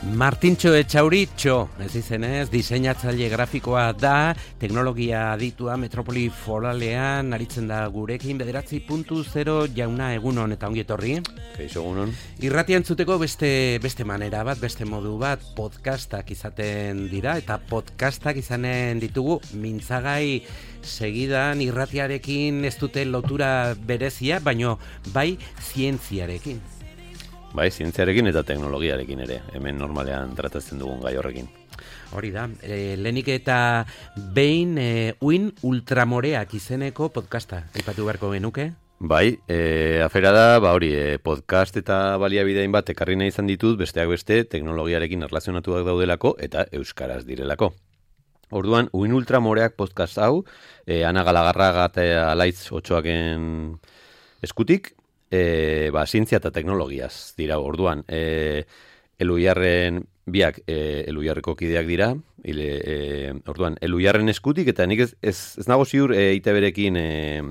Martintxo Etxauritxo, ez izenez, diseinatzaile grafikoa da, teknologia aditua metropoli foralean aritzen da gurekin 9.0 jauna egunon eta ongi etorri. Kaixo egunon. Irratia entzuteko beste manera bat, beste modu bat, podcastak izaten dira eta podcastak izanen ditugu mintzagai segidan irratiarekin ez dute lotura berezia, baino bai zientziarekin. Bai, zientziarekin eta teknologiarekin ere, hemen normalean tratatzen dugun gai horrekin. Hori da, lehenik eta behin uin ultramoreak izeneko podcasta, aipatu beharko genuke? Bai, afera da, podcast eta baliabidein bat ekarri nahi izan ditut, besteak beste, teknologiarekin erlazionatuak daudelako eta euskaraz direlako. Orduan, uin ultramoreak podcast hau, Ana Galagarraga eta Alaitz Otxoaken eskutik, zientzia eta teknologiaz dira. Orduan, Eluiarren biak Eluiarreko kideak dira, orduan, Eluiarren eskutik, eta nik ez nago ziur EITB-rekin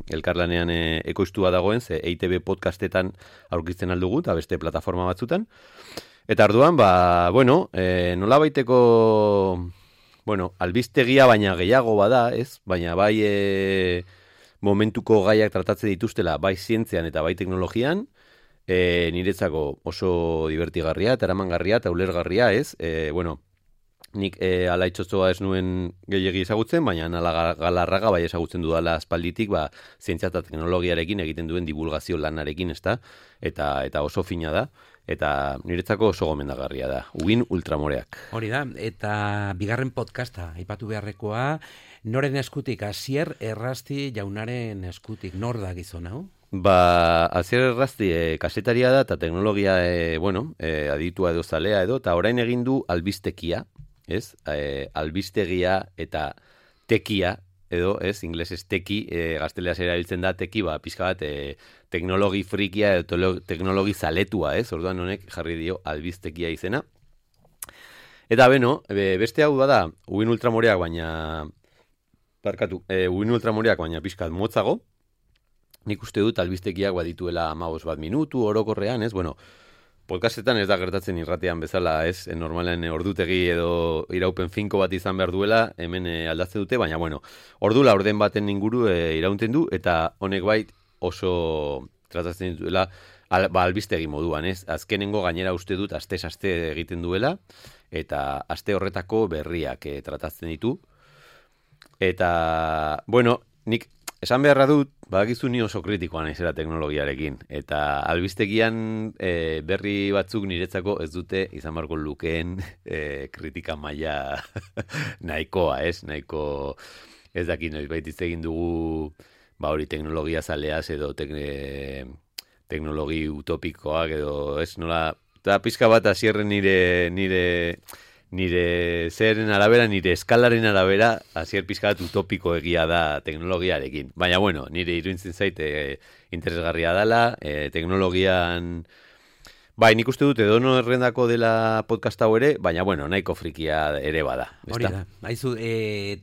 elkarlanean ekoiztua dagoen, ze EITB podcastetan aurkitzen aldugu, eta beste plataforma batzutan. Eta orduan, nola baiteko, albistegia baina gehiago bada, ez? Baina bai momentuko gaiak tratatzen dituztela, bai zientzian eta bai teknologian, niretzako oso divertigarria eta eramangarria eta ulergarria, ez? Nik Alaitxotzoa ez nuen gehiegi ezagutzen, baina Ana Galarraga bai ezagutzen dudala aspalditik, zientzia eta teknologiarekin egiten duen divulgazio lanarekin, ezta? Eta oso fina da, eta niretzako oso gomendagarria da. Uin ultramoreak. Hori da, eta bigarren podcasta, aipatu beharrekoa, noren eskutik, Asier Errasti jaunaren eskutik, nor da gizon hau? Asier Errasti kasetaria da, eta teknologia, aditua edo zalea edo, eta orain egin du albistekia, ez? Albistegia eta tekia, edo, ez? Inglesez teki, gazteleaz erabiltzen da teki, pixka bat teknologi frikia edo teknologi zaletua, ez? Orduan honek jarri dio albistekia izena. Eta beste hau da, uin ultramoreak baina pixkat motzago. Nik uste dut albistekiak badituela 15 minutu orokorrean, ez? Podcastetan ez da gertatzen irratean bezala, ez? Normalen ordutegi edo iraupen finko bat izan behar duela, hemen aldatzen dute, baina ordu laurden baten inguru iraunten du, eta honek bait oso tratatzen dituela albistegi moduan, ez? Azkenengo gainera uste dut aste egiten duela, eta aste horretako berriak tratatzen ditu. Eta, nik esan beharra dut, badakizu ni oso kritikoa naizela teknologiarekin. Eta albistegian berri batzuk niretzako ez dute izan beharko lukeen kritika maila nahikoa, ez? Nahiko ez dakit noiz baitiz egin dugu teknologia zaleaz edo teknologi utopikoak edo ez nola. Eta pizka bat Asierren nire zeren arabera, nire eskalaren arabera, Asier pizka bat utopiko egia da teknologiarekin. Baina nire iruditzen zaite interesgarria dela, teknologian. Nik uste dut edono errendako dela podcast hau ere, baina nahiko frikia ere bada. Hori da, haizu,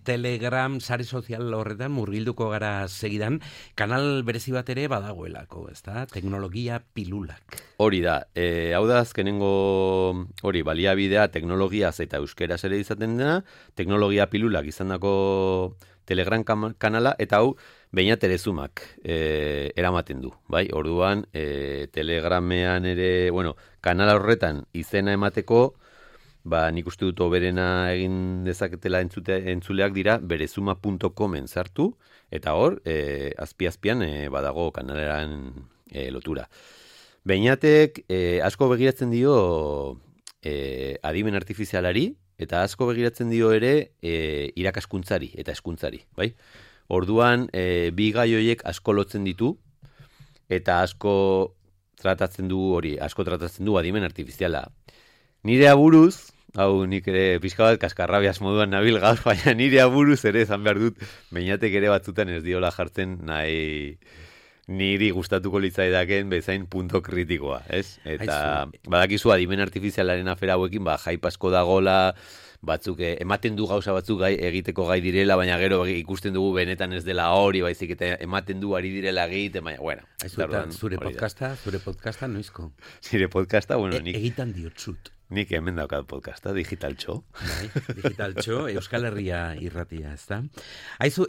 Telegram, sare sozial horretan, murgilduko gara segidan, kanal berezi bat ere badagoelako, ezta? Teknologia pilulak. Hori da, hau da azkenengo baliabidea teknologiaz eta euskeraz ere izaten dena, teknologia pilulak izandako Telegram kanala, eta hau Beñat Erezumak eramaten du, bai? Orduan, Telegramean ere, kanala horretan izena emateko, nik uste dut oberena egin dezaketela entzuleak dira, berezuma.comen sartu, eta hor, azpi-azpian badago kanaleran lotura. Beñatek asko begiratzen dio adimen artifizialari, eta asko begiratzen dio ere irakaskuntzari eta hezkuntzari, bai? Orduan, bi gai horiek asko lotzen ditu, eta asko tratatzen du adimen artifiziala. Nire aburuz, hau nik ere pixka bat kaskarrabiaz moduan nabil gaur, baina nire aburuz ere esan behar dut, Beñatek ere batzutan ez diola jartzen nahi niri gustatuko litzaidaken bezain punto kritikoa, ez? Eta badakizu adimen artifizialaren afera hauekin, hype asko dagola, batzuk ematen du gauza batzuk egiteko gai direla, baina gero ikusten dugu benetan ez dela hori, baizik eta ematen du ari direla egiten, baina, zure podcasta noizko? Zure podcasta, nik... Egitan diotzut. Nik hemen daukat podcasta, Digital Txo. Bai, Digital Txo, Euskal Herria irratia, ezta? Aizu,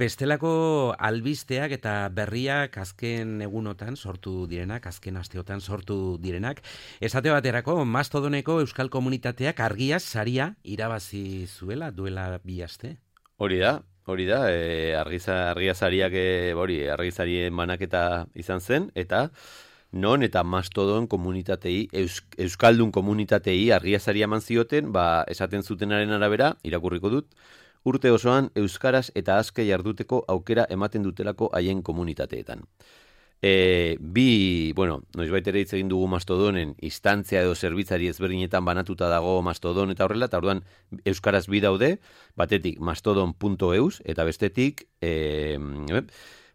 bestelako albisteak eta berriak azken egunotan sortu direnak, azken asteotan sortu direnak, esate baterako, Mastodoneko Euskal Komunitateak argiaz saria irabazi zuela duela 2 aste. Hori da, argizariak, argizarien banaketa izan zen, eta non eta Mastodon komunitatei, Euskaldun komunitatei argiazaria eman zioten, esaten zutenaren arabera, irakurriko dut, urte osoan Euskaraz eta azke jarduteko aukera ematen dutelako haien komunitateetan. Noizbait ere hitz egin dugu Mastodonen instantzia edo zerbitzari ezberdinetan banatuta dago Mastodon eta horrela, eta orduan Euskaraz bi daude, batetik mastodon.eus eta bestetik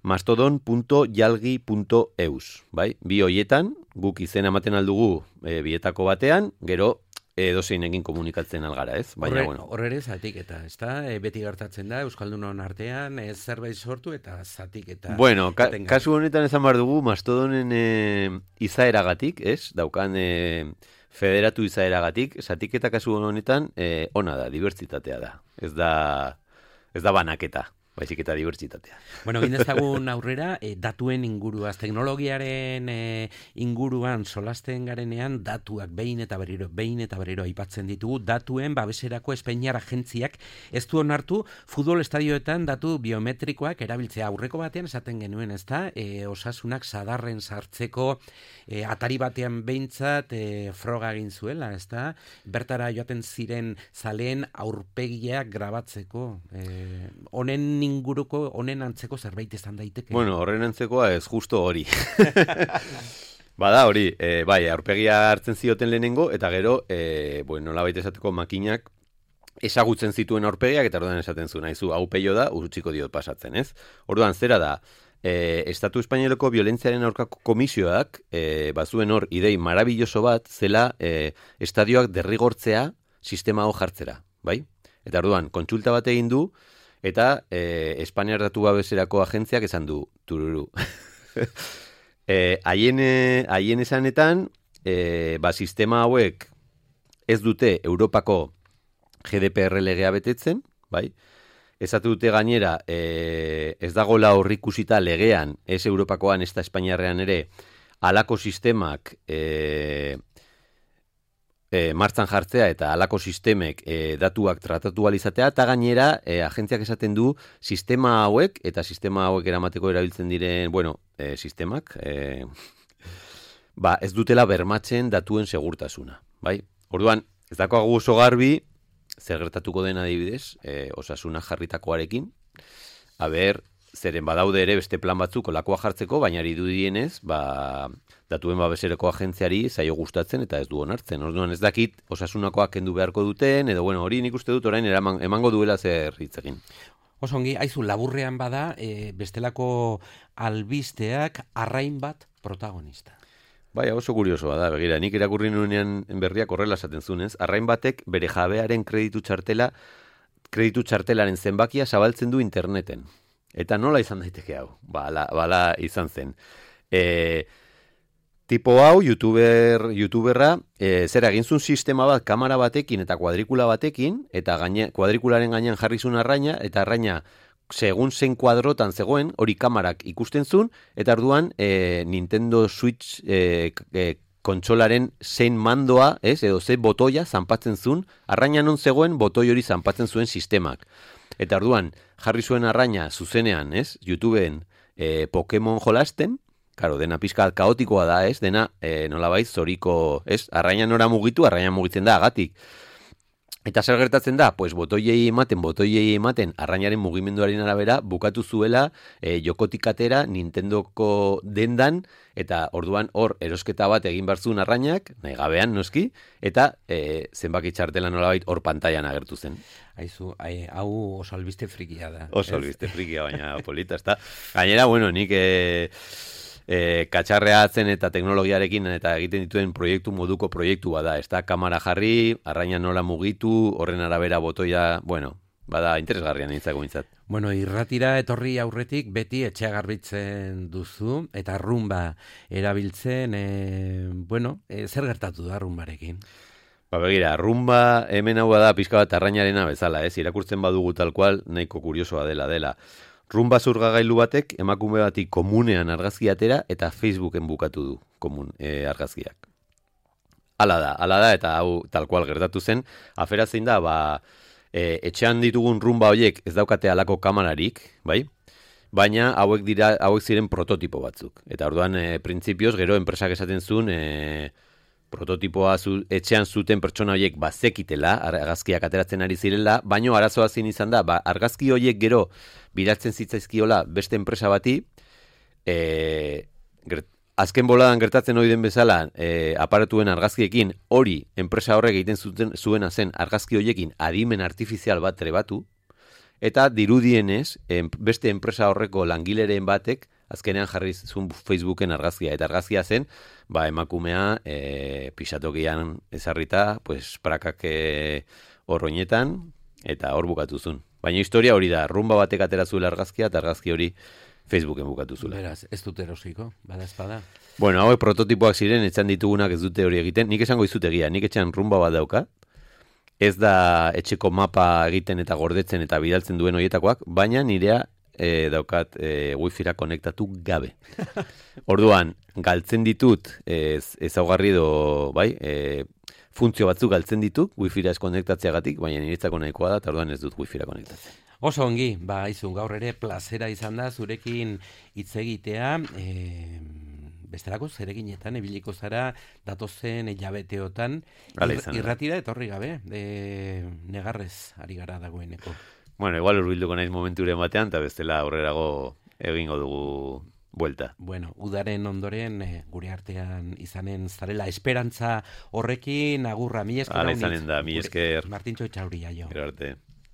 mastodon.jalgi.eus, bai? Bi hoietan, guk izena ematen aldugu bietako batean, gero edozein egin komunikatzen algara, ez? Horre ere zatiketa, ez da? Beti gertatzen da, Euskaldunon artean, zerbait sortu eta zatiketa. Bueno, kasu honetan esan behar dugu, Mastodonen izaeragatik, ez? Daukan federatu izaeragatik, zatiketa kasu honetan ona da, dibertsitatea da. Ez da banaketa. Baizik eta dibertsitatea. Bueno, gindezagun aurrera, datuen inguruaz, teknologiaren inguruan solasten garenean, datuak behin eta berriro aipatzen ditugu, datuen babeserako Espainiar agentziak ez du onartu futbol estadioetan datu biometrikoak erabiltzea. Aurreko batean esaten genuen, ezta? Osasunak sadarren sartzeko atari batean behintzat froga egin zuela, ezta? Bertara joaten ziren zaleen aurpegiak grabatzeko. Honen antzeko zerbait izan daiteke. Bueno, horren antzekoa ez justo hori. Bada hori, aurpegia hartzen zioten lehenengo, eta gero, nolabait esateko makinak ezagutzen zituen aurpegiak, eta orduan esaten zuen, haizu, hau peio da, utziko diot pasatzen, ez? Orduan, zera da, Estatu Espainoleko violentziaren aurkako komisioak, bazuen hor, idei marabilloso bat, zela estadioak derrigortzea sistema hau jartzera, bai? Eta orduan, kontsulta bat egin du, eta Espainiar datu babeserako agentziak esan du, tururu. Haien esanetan, sistema hauek ez dute Europako GDPR legea betetzen, bai? Esatu dute gainera, ez dagoela horrikusita legean, ez Europakoan, ez da Espainiarrean ere, halako sistemak martzan jartzea eta halako sistemek datuak tratatu alizatea, eta gainera agentziak esaten du sistema hauek eta sistema hauek eramateko erabiltzen diren, sistemak, ez dutela bermatzen datuen segurtasuna, bai? Orduan, ez dakoagu oso garbi, zer gertatuko den adibidez, osasuna jarritakoarekin, zeren badaude ere beste plan batzuk olakoa jartzeko, baina irudienez, datuen babesereko agentziari zaio gustatzen eta ez du onartzen. Orduan ez dakit osasunakoak kendu beharko duten, edo hori nik uste dut orain emango duela zer hitz egin. Osongi, aizu, laburrean bada, bestelako albisteak arrain bat protagonista. Bai, oso kuriosoa da, begira, nik irakurri nuenean berriak horrela esaten zunez, arrain batek bere jabearen kreditu txartelaren zenbakia zabaltzen du interneten. Eta nola izan daiteke hau? Bala izan zen. Tipo hau, youtuberra, zer egin zuen sistema bat kamera batekin eta kuadrikula batekin, eta kuadrikularen gainean jarri zuen arraina, eta arraina segun zen kuadrotan zegoen, hori kamerak ikusten zuen, eta orduan Nintendo Switch kontsolaren zein mandoa, edo ze botoia zanpatzen zuen, arraina non zegoen botoi hori zanpatzen zuen sistemak. Eta orduan, jarri zuen arraina zuzenean, YouTubeen Pokemon jolasten, karo, dena pizka kaotikoa da, dena nolabait zoriko, arraina nora mugitu, arraina mugitzen da agatik. Eta zer gertatzen da? Pues botoiei ematen, arrainaren mugimenduaren arabera, bukatu zuela jokotik atera Nintendoko dendan, eta orduan hor erosketa bat egin barzun arrainak, nahi gabean noski, eta zenbaki txartela nolabait hor pantailan agertu zen. Aizu, hau oso albiste frikia da. Oso albiste frikia, baina polita, ezta? Gainera, nik katxarreatzen eta teknologiarekin eta egiten dituen proiektu bada, ez da, kamera jarri, arraina nola mugitu, horren arabera botoia, bada interesgarria nintzako mintzat. Bueno, irratira etorri aurretik beti etxea garbitzen duzu, eta rumba erabiltzen, zer gertatu da rumbarekin? Begira, rumba hemen hau da pixka bat arrainarena bezala, irakurtzen badugu tal cual, nahiko kuriosoa dela. Rumba zurgagailu batek emakume bati komunean argazki atera eta Facebooken bukatu du argazkiak. Hala da, eta hau tal cual gertatu zen, afera zein da, etxean ditugun rumba horiek ez daukate halako kamerarik, bai? Baina hauek ziren prototipo batzuk. Eta orduan, printzipioz, gero enpresak esaten zuen, prototipoa etxean zuten pertsona horiek bazekitela, argazkiak ateratzen ari zirela, baino arazoa zin izan da, argazki horiek gero biratzen zitzaizkiola beste enpresa bati, azken boladan gertatzen hori den bezala, aparatuen argazkiekin hori enpresa horrek egiten zuena zen argazki horiekin adimen artifizial bat trebatu, eta dirudienez, beste enpresa horreko langileren batek, azkenean jarri zuen Facebooken argazkia, eta argazkia zen, emakumea pixatokian ezarrita, prakak horroinetan, eta hor bukatu zuen. Baina historia hori da, rumba batek atera zuela argazkia, eta argazki hori Facebooken bukatu zuela. Beraz, ez dut erosiko, bada espada. Bueno, hauek prototipoak ziren, etxan ditugunak ez dute hori egiten, nik esango izut egia, nik etxan rumba bat dauka, ez da etxeko mapa egiten eta gordetzen eta bidaltzen duen horietakoak, baina nirea daukat wifi-ra konektatu gabe. Orduan, galtzen ditut ezaugarri edo, funtzio batzuk galtzen ditut wifi-ra ez konektatzeagatik, baina niretzako nahikoa da, eta orduan ez dut wifi-ra konektatzen. Oso ongi, izun gaur ere plazera izan da zurekin hitz egitea, bestelako zereginetan ebiliko zara datozen hilabeteotan irratira etorri gabe, negarrez ari gara dagoeneko. Bueno, igual urbilduko naiz momenturen batean, eta bestela aurrerago egingo dugu buelta. Bueno, udaren ondoren gure artean izanen zarela esperantza horrekin agurra, mi esker. Hala izanen da, mi esker. Martintxo Etxauri jaio. Gero arte.